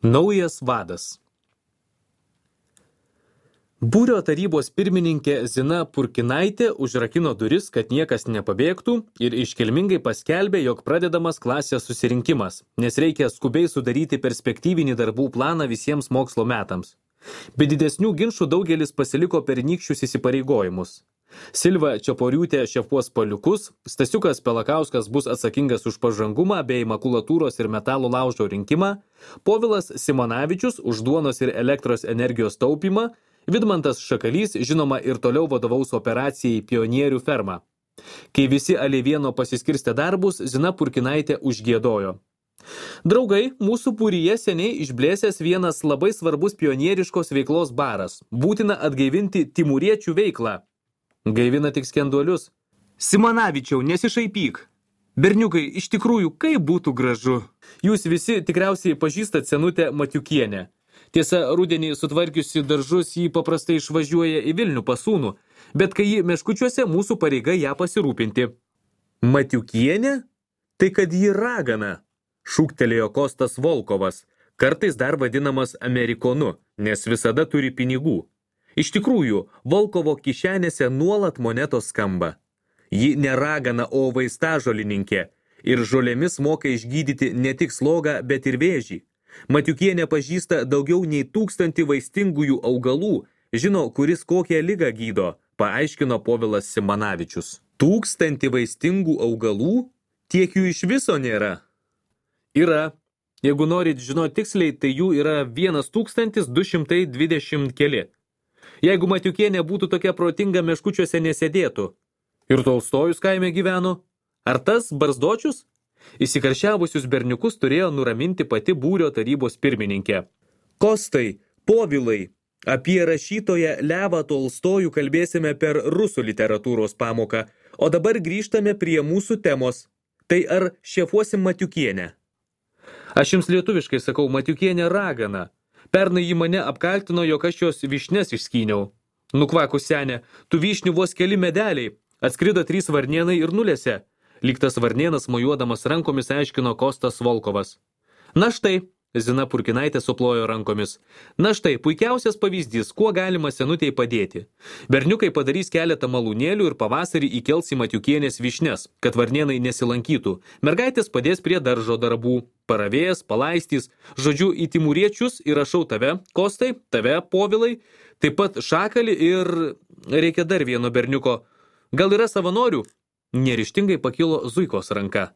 Naujas vadas. Būrio tarybos pirmininkė Zina Purkinaitė užrakino duris, kad niekas nepabėgtų ir iškilmingai paskelbė, jog pradedamas klasės susirinkimas, nes reikia skubiai sudaryti perspektyvinį darbų planą visiems mokslo metams. Be didesnių ginčų daugelis pasiliko pernykščius įsipareigojimus. Silva Čiaporiūtė šefuos paliukus, Stasiukas Pelakauskas bus atsakingas už pažangumą bei makulatūros ir metalo laužo rinkimą, Povilas Simonavičius už duonos ir elektros energijos taupymą, Vidmantas Šakalys, žinoma, ir toliau vadovaus operacijai Pionierių ferma. Kai visi Alėvieno pasiskirstė darbus, Zina Purkinaitė užgiedojo. Draugai, mūsų būryje seniai išblėsęs vienas labai svarbus pionieriškos veiklos baras. Būtina atgaivinti timūriečių veiklą. Gaivina tik skenduolius. Simonavičiau, nesišaipyk. Berniukai, iš tikrųjų, kaip būtų gražu. Jūs visi tikriausiai pažįstat senutę Matiukienę. Tiesa, rudenį sutvarkiusi daržus jį paprastai išvažiuoja į Vilnių pas sūnų, bet kai ji meškučiuose, mūsų pareiga ją pasirūpinti. Matiukienė? Tai kad ji ragana, šūktelėjo Kostas Volkovas, kartais dar vadinamas Amerikonu, nes visada turi pinigų. Iš tikrųjų, Volkovo kišenėse nuolat monetos skamba. Ji ne ragana, o vaistažolininkė ir žolėmis moka išgydyti ne tik slogą, bet ir vėžį. Matiukienė pažįsta daugiau nei 1000 vaistingųjų augalų, žino, kuris kokią ligą gydo, paaiškino Povilas Simonavičius. 1000 vaistingų augalų? Tiek jų iš viso nėra? Yra. Jeigu norit žinoti tiksliai, tai jų yra 1220 keli. Jeigu Matiukienė būtų tokia protinga, meškučiuose nesėdėtų. Ir Tolstojus kaime gyveno. Ar tas Barzdočius? Įsikaršiavusius berniukus turėjo nuraminti pati būrio tarybos pirmininkė. Kostai, Povilai, apie rašytoją Levą Tolstojų kalbėsime per rusų literatūros pamoką, o dabar grįžtame prie mūsų temos. Tai ar šefuosim Matiukienę? Aš jums lietuviškai sakau, Matiukienė ragana. Pernai ji mane apkaltino, jog aš jos vyšnes išskyniau. Nukvakus senė, tų vyšnių vos keli medeliai, atskrido 3 varnėnai ir nulėse. Lyg tas varnėnas mojuodamas rankomis aiškino Kostas Volkovas. Na štai, Zina Purkinaitė suplojo rankomis. Na štai, puikiausias pavyzdys, kuo galima senutei padėti. Berniukai padarys keletą malūnėlių ir pavasarį įkels į Matiukienės vyšnes, kad varnėnai nesilankytų. Mergaitės padės prie daržo darbų, paravėjas, palaistys. Žodžiu, į timūriečius įrašau tave, Kostai, tave, Povilai, taip pat Šakalį ir reikia dar vieno berniuko. Gal yra savanorių? Neryžtingai pakilo Zuikos ranka.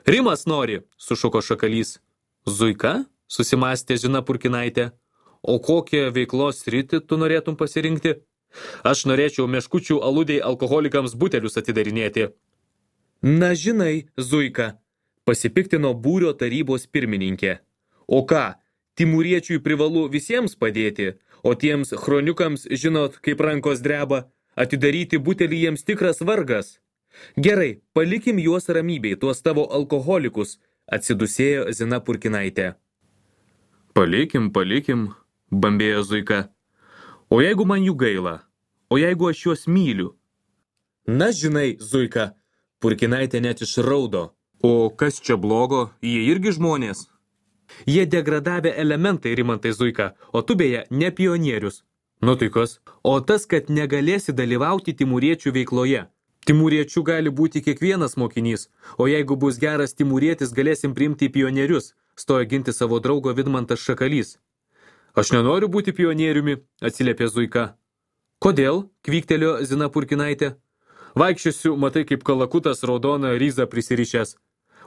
Rimas nori, sušuko Šakalys. Zuika? Susimastė Zina Purkinaitė. O kokią veiklos sritį tu norėtum pasirinkti? Aš norėčiau meškučių aludei alkoholikams butelius atidarinėti. Na žinai, Zuika, pasipiktino būrio tarybos pirmininkė. O ką, timūriečiui privalu visiems padėti, o tiems chroniukams, žinot, kaip rankos dreba, atidaryti butelį jiems tikras vargas. Gerai, palikim juos ramybei, tuos tavo alkoholikus, atsidusėjo Zina Purkinaitė. Palikim, bambėjo Zuika. O jeigu man jų gaila? O jeigu aš juos myliu? Na žinai, Zuika, Purkinaitė net išraudo. O kas čia blogo? Jie irgi žmonės? Jie degradavę elementai, Rimantai Zuika, o tu beje ne pionierius. Nu tai kas? O tas, kad negalėsi dalyvauti timūriečių veikloje. Timūriečių gali būti kiekvienas mokinys, o jeigu bus geras timūrietis, galėsim priimti į pionierius, stojo ginti savo draugo Vidmantas Šakalys. Aš nenoriu būti pionieriumi, atsiliepė Zuika. Kodėl? Kvyktelėjo Zina Purkinaitė. Vaikščiosiu, matai kaip kalakutas raudoną ryzą prisirišęs.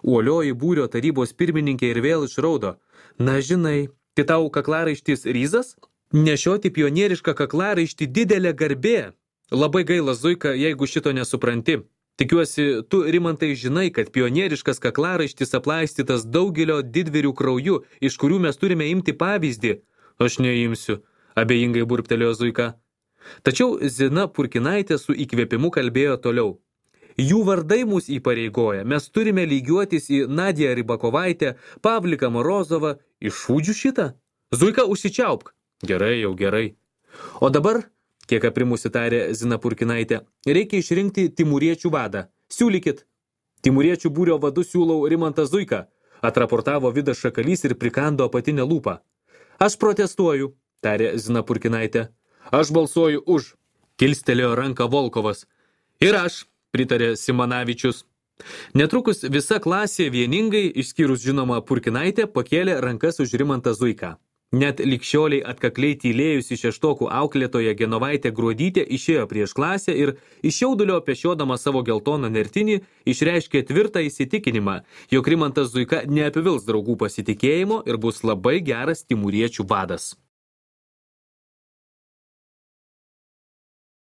Uolioji būrio tarybos pirmininkė ir vėl išraudo. Na žinai, tai tau kaklaraištis ryzas? Nešioti pionierišką kaklaraištį didelė garbė. Labai gaila, Zuika, jeigu šito nesupranti. Tikiuosi, tu, Rimantai, žinai, kad pionieriškas kaklaraištis aplaistytas daugelio didvyrių krauju, iš kurių mes turime imti pavyzdį. Aš neimsiu, abejingai burptelėjo Zuika. Tačiau Zina Purkinaitė su įkvėpimu kalbėjo toliau. Jų vardai mus įpareigoja, mes turime lygiuotis į Nadiją Rybakovaitę, Pavliką Morozovą. Iššūdžiu šitą? Zuika, užsičiaupk. Gerai, jau gerai. O dabar, kiek aprimusi tarė Zina Purkinaitė, reikia išrinkti timūriečių vadą. Siūlykit. Timūriečių būrio vadu siūlau Rimantą Zuiką, atraportavo Vidas Šakalys ir prikando apatinę lūpą. Aš protestuoju, tarė Zina Purkinaitė. Aš balsuoju už, kilstelėjo ranką Volkovas. Ir aš, pritarė Simanavičius. Netrukus visa klasė vieningai, išskyrus žinoma Purkinaitė, pakėlė rankas už Rimantą Zuiką. Net likščioliai atkakliai tylėjusi šeštokų auklėtoja Genovaitė Gruodytė išėjo prieš klasę ir iš jaudulio pešiodama savo geltoną nertinį išreiškė tvirtą įsitikinimą, jog Rimantas Zuika neapivils draugų pasitikėjimo ir bus labai geras timūriečių vadas.